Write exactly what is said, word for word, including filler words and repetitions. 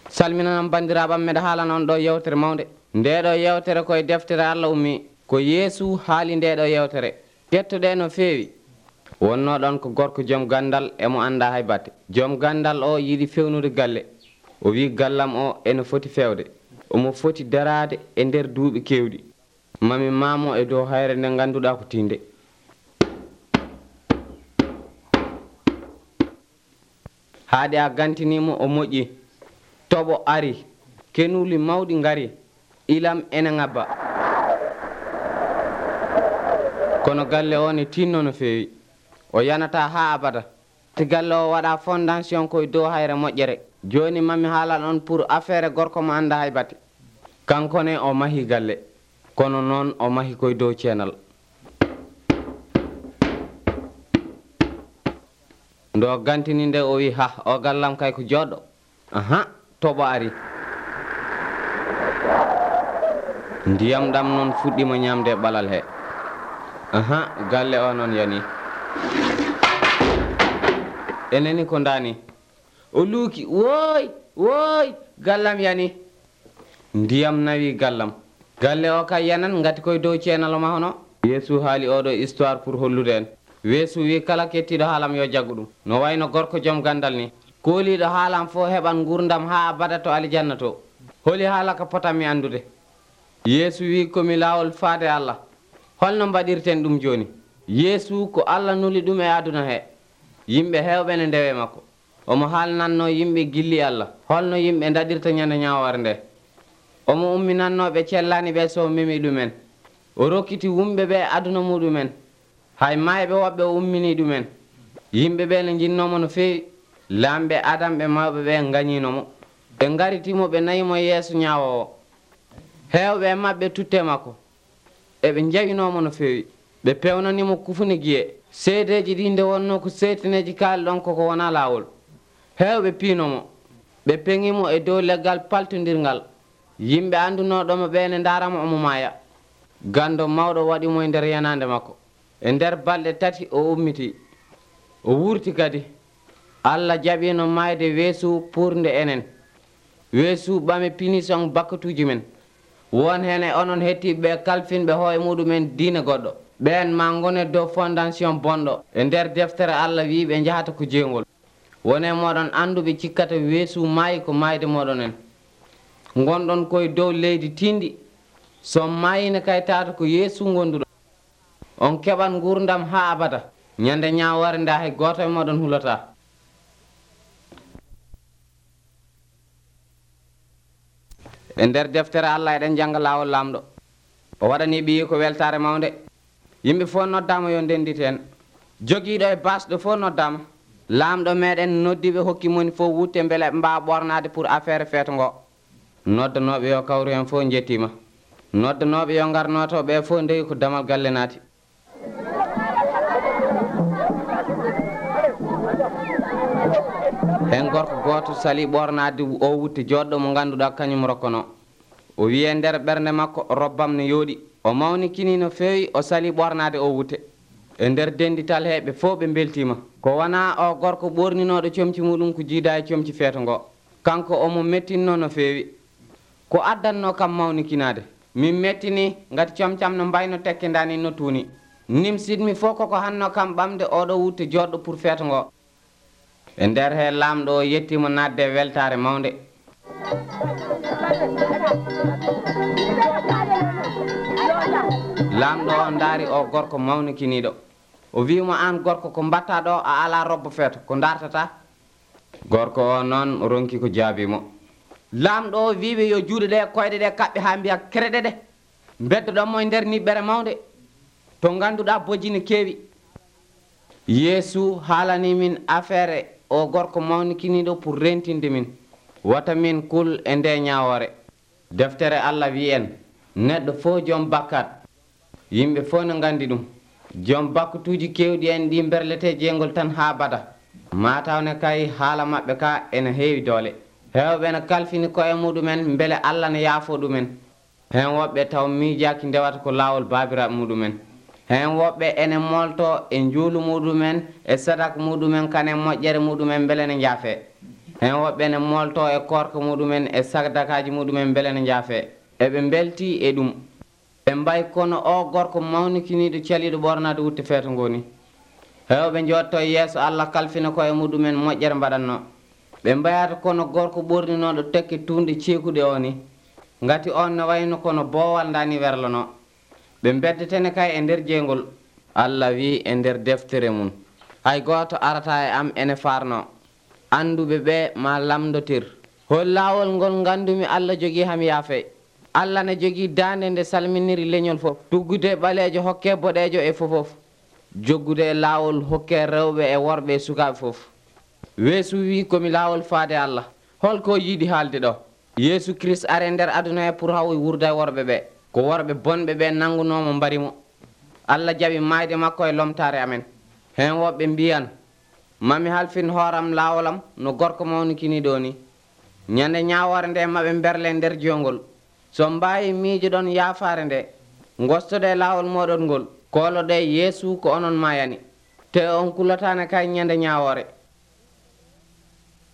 salminanan bandiraɓam meɗa haalana on ɗo yewtere mawde ndeɗo yewtere koye deftere Allah ummi ko Yeesu haali ndeɗo yewtere kettoɗe no feewi. wonno ɗon ko gorko joom gandal emo anda hay batte. joom gandal o yiɗi fewnude galle. o wi gallam o ene foti fewde, omo foti darade e nder duuɓi kewɗi. mami mamo e dow hayre nde ganduɗa ko tinde. haade a gantinimo o moƴƴi, toɓo ari, kenuli mawɗi ngari, ilam ene ngabba. kono galle o ne tinno no feewi, o yanata ha abada. ti galle o waɗa fondation koye dow hayre moƴƴere. joni mami haalan on pour affaire gorko mo anda hay batte. kankone o mahi galle, kono noon o mahi koye dow ceenal. ndo gantini nde o wi ha o gallam kay ko joɗɗo. aha toɓo ari. ndiyam ɗam noon fuɗɗima ñamde ɓalal he. aha galle o noon yani. eneni ko ndani o luuki woy woy gallam yani. ndiyam nawi gallam. galle o kay yanan ngati koye dow ceenal ma hono. Yeesu haali oɗo histoire pour hollude en. Yeesu wi kala kettiɗo haalam yo jaggu ɗum. no wayno gorko joom gandal ni kooliɗo haalam fo heɓan gurdam ha abada to alijanna to. holi haala ka potanmi andude. Yeesu wi komi laawol faade Allah. holno mbaɗirten ɗum joni? Yeesu ko Allah nuli ɗum e aduna he. yimɓe hewɓe ne ndewe makko. omo haalnanno yimɓe gilli Allah holno yimɓe daɗirta ñande ñawore nde. omo umminannoɓe cellani ɓe so memi ɗumen. o rokkiti wumɓe ɓe aduna muɗumen. hay mayɓe woɓɓe o ummini ɗumen. yimɓe ɓe ne jinnomo no feewi. lamɓe adam ɓe mawɓe ɓe gañinomo. ɓe garitimo ɓe nayimo yeeso ñawowo. hewɓe mabɓe tutte makko eɓe jawinomo no feewi. ɓe pewnanimo kufune guiye. seedeji ɗi nde wonno ko seytaneji kaali ɗon koko wona lawol. hewɓe piinomo. ɓe peŋimo e dow leggal paltodirgal. yimɓe andunoɗomo ɓe ne daramo omo maaya. gando mawɗo waɗimo e nder yanande makko. e nder balɗe tati o ummiti. o wurti kadi. Allah jaɓino mayde Yeesu pour nde enen. Yeesu ɓame punition bakkatuji men. won hen e onon hettiɓe kalfinɓe hooye muɗumen diine goɗɗo. ɓen ma gone dow fondation bonɗo. e nder deftere Allah wi ɓe jahata ko jeygol. wone moɗon anduɓe cikkata Yeesu maayi ko mayde moɗon en. gonɗon koye dow leydi tindi. so mayine kay tata ko Yeesu gonduɗo. on keɓan gurdam ha abada. ñande ñawore nda hay goto e moɗon hulata. e nder deftere Allah eɗen jangga lawol lamɗo. o waɗani ɓiyi ko weltare mawde. yimɓe fof noddama yo ndendite en. joguiɗo e basɗo fof noddama. lamɗo meɗen noddiɓe hokki moni fof wutte beele ɓe mbawa ɓornade pour affaire feeto ngo. noddanoɓe yo kawru hen fof jettima. noddanoɓe yo garnoto ɓe fof ndewi ko damal galle naati. hen gorko goto sali ɓornade o wutte joɗɗo mo ganduɗa kañum rokkono. o wi e nder ɓernde makko robbam ne yooɗi. o mawni kini no feewi o sali ɓornade o wutte. e nder dendital heɓe fof ɓe beltima. ko wona o gorko ɓorninoɗo comci muɗum ko jiida e comci feeto ngo. kanko omo mettinno no feewi. ko addanno kam mawnikinade. min mettini ngati comcam no mbayno tekkendani no tuuni. nim sidmi fof koko hanno kam ɓamde oɗo wutte joɗɗo pour feeto ngo. e nder he lamɗo o yettimo nadde weltare mawde. lamɗo o daari o gorko mawnikiniɗo. o wimo an gorko ko mbatta ɗo a ala robbo feeto ko dartata. gorko o noon ronki ko jaabimo. lamɗo o wiɓe yo juuɗe ɗe koyɗe ɗe kaɓɓe ha mbiya kreɗe ɗe. beddo ɗonmo e nder niɓɓere mawde to ganduɗa bojji ne keewi. Yeesu haalani min affaire o gorko mawnikiniɗo pour rentinde min. wata min kul e nde ñawore. deftere Allah wi en neɗɗo fof joom bakkat. yimɓe fof ne gandi ɗum. joom bakkatuji kewɗi en ɗi berlete jeygol tan ha bada. matawne kay haala mabɓe ka ene heewi doole. hewɓe ne kalfini koye muɗumen beele Allah ne yaafo ɗumen. hen woɓɓe taw miijaki ndewata ko lawol babiraɓe muɗumen. hen woɓɓe ene molto e juulu muɗumen e sadak muɗumen kane moƴƴere muɗumen beele ne jaafe. hen woɓɓe ne molto e korka muɗumen e sagdakaji muɗumen beele ne jaafe eɓe belti e ɗum ɓe mbayi kono o gorko mawnikiniɗo caliɗo ɓornade wutte feeto ngoni hewɓe jotto e yeeso Allah kalfina ko e muɗumen moƴƴere mbaɗanno ɓe mbayata kono gorko ɓorninoɗo tekke tunde ceekuɗe o ni ngati on ne wayno kono boowal dani werlano ɓe beddetene kay e nder jeygol Allah wi e nder deftere mum hay goto arata e am ene farno anduɓe ɓe ma lamdotir hol laawol ngol gandumi Allah jogui ham yaafe Allah ne jogui dande nde salminiri leñol fof tuggude ɓaleejo hokke boɗeejo e fofof joggude e laawol hokke rewɓe e worɓe e sukaɓe fof weesu wi komi laawol faade Allah holko yiiɗi haalde ɗo Yeesu Christ are nder aduna he pour haw wurde e worɓe ɓe ko worɓe bonɓe ɓe nangunomo mbarimo Allah jaɓi mayde makko e lomtare amen hen woɓɓe mbiyan mami halfin hooram laawolam no gorko mawnikiniɗo ni ñande ñawore nde maɓe berle nder jongol so mbawi miijo ɗon yaafare nde gostode laawol moɗon ngol koloɗe Yeesu ko onon mayani te on kulotane kay ñande ñawore